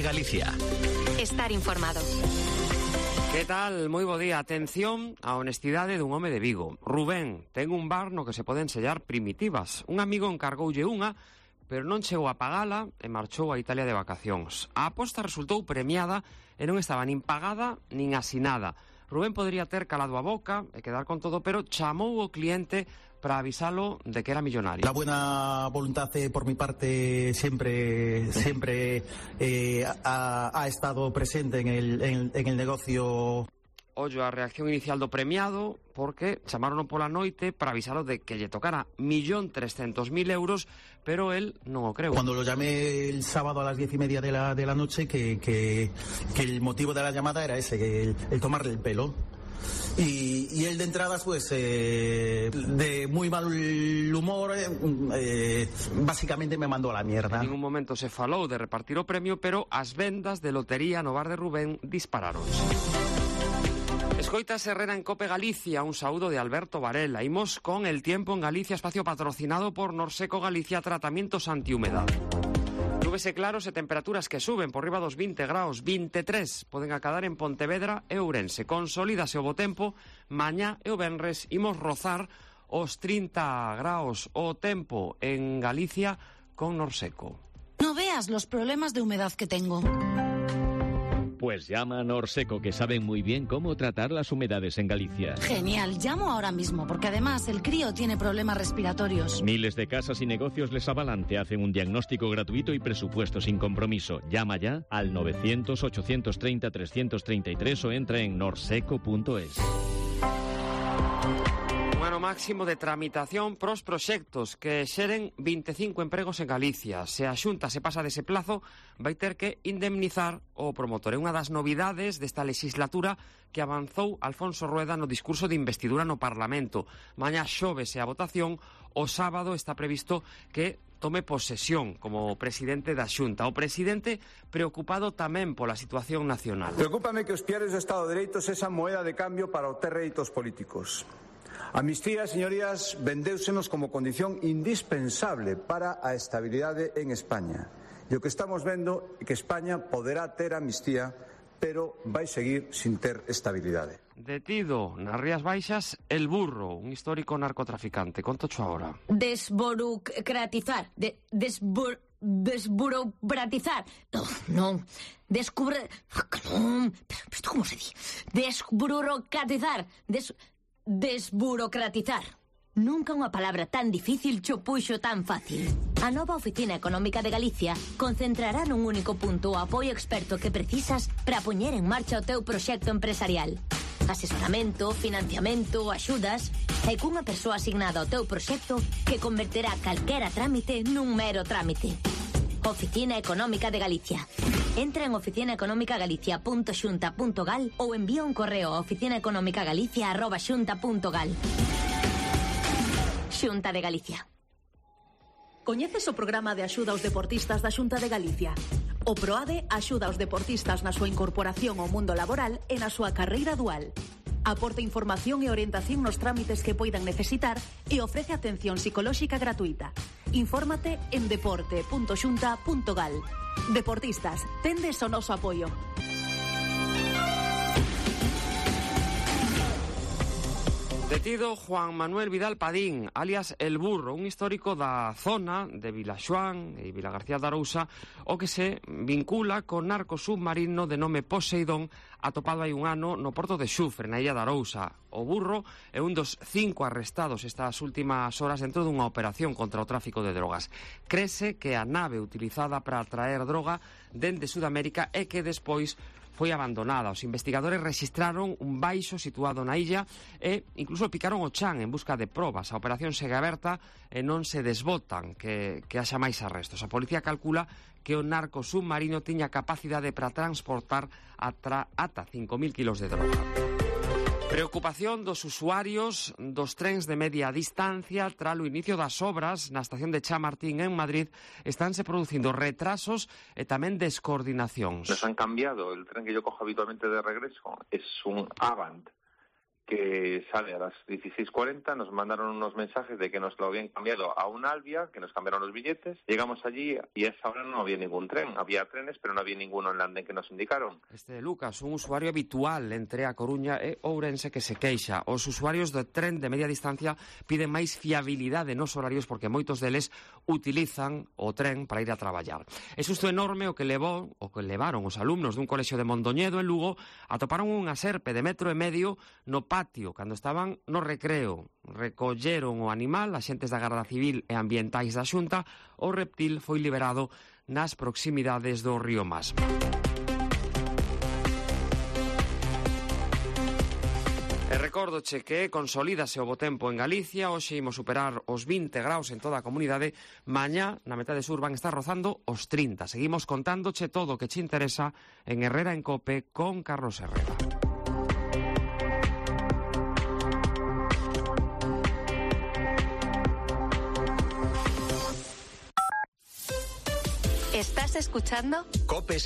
de Galicia. Estar informado. Que tal? Moi bo día. Atención á honestidade dun home de Vigo. Rubén ten un bar no que se poden sellar primitivas. Un amigo encargoulle unha, pero non chegou a pagala e marchou a Italia de vacacións. A aposta resultou premiada e non estaba nin pagada nin asinada. Rubén podría ter calado a boca e quedar con todo, pero chamou o cliente para avisalo de que era millonario. La buena voluntad por mi parte siempre ha estado presente en el negocio. Ollo a reacción inicial do premiado, porque chamaron pola noite para avisalo de que lle tocara 1.300.000 euros, pero él non o creu. Cuando lo llamé el sábado a las 10:30 de la noche, que el motivo de la llamada era ese, el tomarle el pelo. Y él de entradas, pues, de muy mal humor, básicamente me mandó a la mierda. En ningún momento se falou de repartir o premio, pero as vendas de lotería no bar de Rubén dispararon. Escoitas Herrera en Cope Galicia, un saúdo de Alberto Varela. Imos con el tiempo en Galicia, espacio patrocinado por Norseco Galicia, tratamientos antihumedad. Nubes e claros e temperaturas que suben por riba dos 20 graus, 23 poden acadar en Pontevedra e Ourense. Consolídase o bo tempo, mañá e o venres imos rozar os 30 graus o tempo en Galicia con Norseco. No veas los problemas de humedad que tengo. Pues llama a Norseco, que saben muy bien cómo tratar las humedades en Galicia. Genial, llamo ahora mismo, porque además el crío tiene problemas respiratorios. Miles de casas y negocios les avalan, te hacen un diagnóstico gratuito y presupuesto sin compromiso. Llama ya al 900-830-333 o entra en norseco.es. Ano máximo de tramitación pros proxectos que xeren 25 empregos en Galicia. Se a Xunta se pasa dese plazo, vai ter que indemnizar o promotor. É unha das novidades desta legislatura que avanzou Alfonso Rueda no discurso de investidura no Parlamento. Mañá xóvese a votación, o sábado está previsto que tome posesión como presidente da Xunta. O presidente preocupado tamén pola situación nacional. Preocúpame que os piares do Estado de Dereito sexan moeda de cambio para obter réditos políticos. Amnistía, señorías, vendéusenos como condición indispensable para a estabilidade en España. E o que estamos vendo é que España poderá ter amnistía, pero vai seguir sin ter estabilidade. Detido nas Rías Baixas El Burro, un histórico narcotraficante. Contocho agora. Desburocratizar. Desburocratizar. Non. Descubre... Non. Pero isto como se di? Desburocratizar. Desburocratizar. Nunca unha palabra tan difícil cho puxo tan fácil. A nova Oficina Económica de Galicia concentrará nun único punto o apoio experto que precisas para poñer en marcha o teu proxecto empresarial. Asesoramento, financiamento, axudas e cunha persoa asignada ao teu proxecto que converterá calquera trámite nun mero trámite. Oficina Económica de Galicia. Entra en oficinaeconomicagalicia.xunta.gal ou envía un correo a oficinaeconomicagalicia@xunta.gal. Xunta de Galicia. Coñeces o programa de axuda aos deportistas da Xunta de Galicia? O PROADE axuda aos deportistas na súa incorporación ao mundo laboral e na súa carreira dual. Aporta información e orientación nos trámites que poidan necesitar e ofrece atención psicolóxica gratuita. Infórmate en deporte.xunta.gal. Deportistas, tendes o noso apoio. Detido Juan Manuel Vidal Padín, alias El Burro, un histórico da zona de Vilaxoán e Vilagarcía de Arousa, o que se vincula con narco submarino de nome Poseidón, atopado hai un ano no porto de Xufre, na illa de Arousa. O Burro é un dos 5 arrestados estas últimas horas dentro dunha operación contra o tráfico de drogas. Crese que a nave utilizada para traer droga dende Sudamérica é que despois foi abandonada. Os investigadores rexistraron un baixo situado na illa e incluso picaron o chan en busca de probas. A operación segue aberta e non se desbotan que haxa máis arrestos. A policía calcula que o narco submarino tiña capacidade para transportar ata 5.000 kilos de droga. Preocupación dos usuarios dos trens de media distancia tras o inicio das obras na estación de Chamartín en Madrid. Estánse producindo retrasos e tamén descoordinacións. Nos han cambiado. El tren que yo cojo habitualmente de regreso es un Avant que sale a las 16:40, nos mandaron unos mensajes de que nos lo habían cambiado a un Albia, que nos cambiaron los billetes. Llegamos allí y a esa hora no había ningún tren. Había trenes, pero no había ninguno en el andén que nos indicaron. Lucas, un usuario habitual entre A Coruña e Ourense que se queixa. Os usuarios do tren de media distancia piden máis fiabilidade nos horarios porque moitos deles utilizan o tren para ir a traballar. É susto enorme o que levaron os alumnos dun colexio de Mondoñedo en Lugo atoparon unha serpe de 1,5 metros no patio cando estaban no recreo. Recolleron o animal, axentes da Garda Civil e ambientais da Xunta. O reptil foi liberado nas proximidades do río Mas. E recórdoche que consolídase o bo tempo en Galicia. Hoxe imos superar os 20 graus en toda a comunidade. Mañá, na metade sur, van estar rozando os 30. Seguimos contándoche todo o que che interesa en Herrera en Cope con Carlos Herrera. ¿Estás escuchando? Cope